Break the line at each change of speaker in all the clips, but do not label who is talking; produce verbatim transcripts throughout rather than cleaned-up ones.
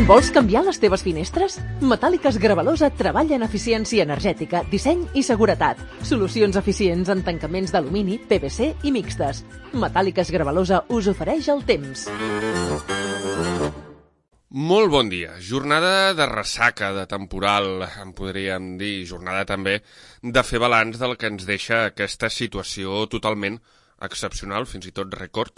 Vols canviar les teves finestres? Metàl·liques Gravalosa treballa en eficiència energètica, disseny i seguretat. Solucions eficients en tancaments d'alumini, P V C i mixtes. Metàl·liques Gravalosa us ofereix el temps.
Molt bon dia. Jornada de ressaca, de temporal, en podríem dir, jornada també de fer balanç del que ens deixa aquesta situació totalment excepcional, fins i tot rècord,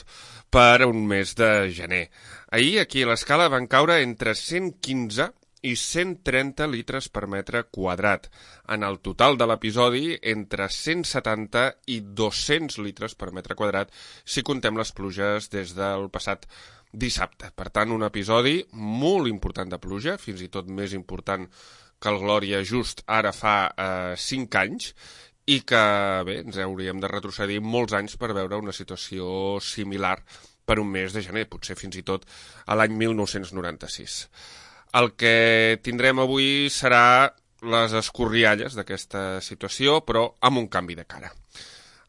per un mes de gener. Ahir, aquí a l'escala, van caure entre cent quinze i cent trenta litres per metre quadrat. En el total de l'episodi, entre cent setanta i dos-cents litres per metre quadrat, si contem les pluges des del passat dissabte. Per tant, un episodi molt important de pluja, fins i tot més important que el Glòria just ara fa eh, cinc anys, i que, bé, ens hauríem de retrocedir molts anys per veure una situació similar per un mes de gener, potser fins i tot a l'any mil nou-cents noranta-sis. El que tindrem avui serà les escorrialles d'aquesta situació, però amb un canvi de cara.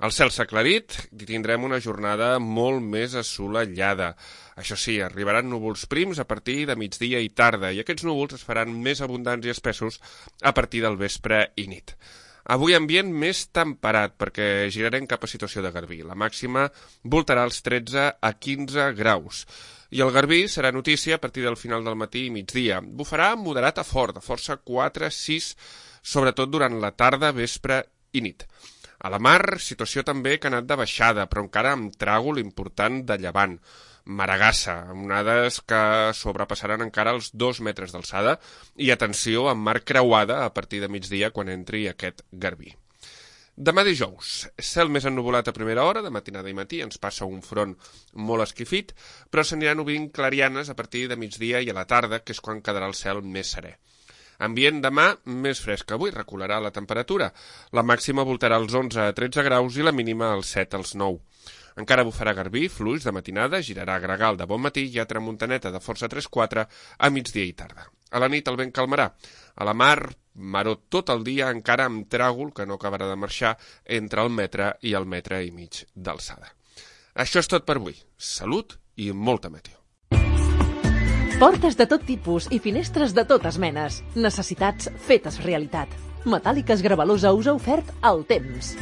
El cel s'ha aclarit i tindrem una jornada molt més assolellada. Això sí, arribaran núvols prims a partir de migdia i tarda, i aquests núvols es faran més abundants i espessos a partir del vespre i nit. Avui ambient més temperat, perquè girarem cap a situació de garbí. La màxima voltarà els tretze a quinze graus. I el garbí serà notícia a partir del final del matí i migdia. Bufarà moderat a fort, de força quatre a sis, sobretot durant la tarda, vespre i nit. A la mar, situació també que ha anat de baixada, però encara amb tràgol important de llevant. Maragassa, amb onades que sobrepassaran encara els dos metres d'alçada, i atenció amb mar creuada a partir de migdia quan entri aquest garbí. Demà dijous, cel més ennuvolat a primera hora, de matinada i matí, ens passa un front molt esquifit, però s'aniran obrint clarianes a partir de migdia i a la tarda, que és quan quedarà el cel més serè. Ambient demà més fresc que avui, recularà la temperatura. La màxima voltarà als onze a tretze graus i la mínima als set als nou. Encara bufarà garbí, fluix de matinada, girarà gregal de bon matí i a tramuntaneta de força tres quatre a migdia i tarda. A la nit el vent calmarà. A la mar, maró tot el dia, encara amb tràgol que no acabarà de marxar entre el metre i el metre i mig d'alçada. Això és tot per avui. Salut i molta meteo.
Portes de tot tipus i finestres de totes menes. Necessitats fetes realitat. Metàl·liques Gravalosa us ha ofert el temps.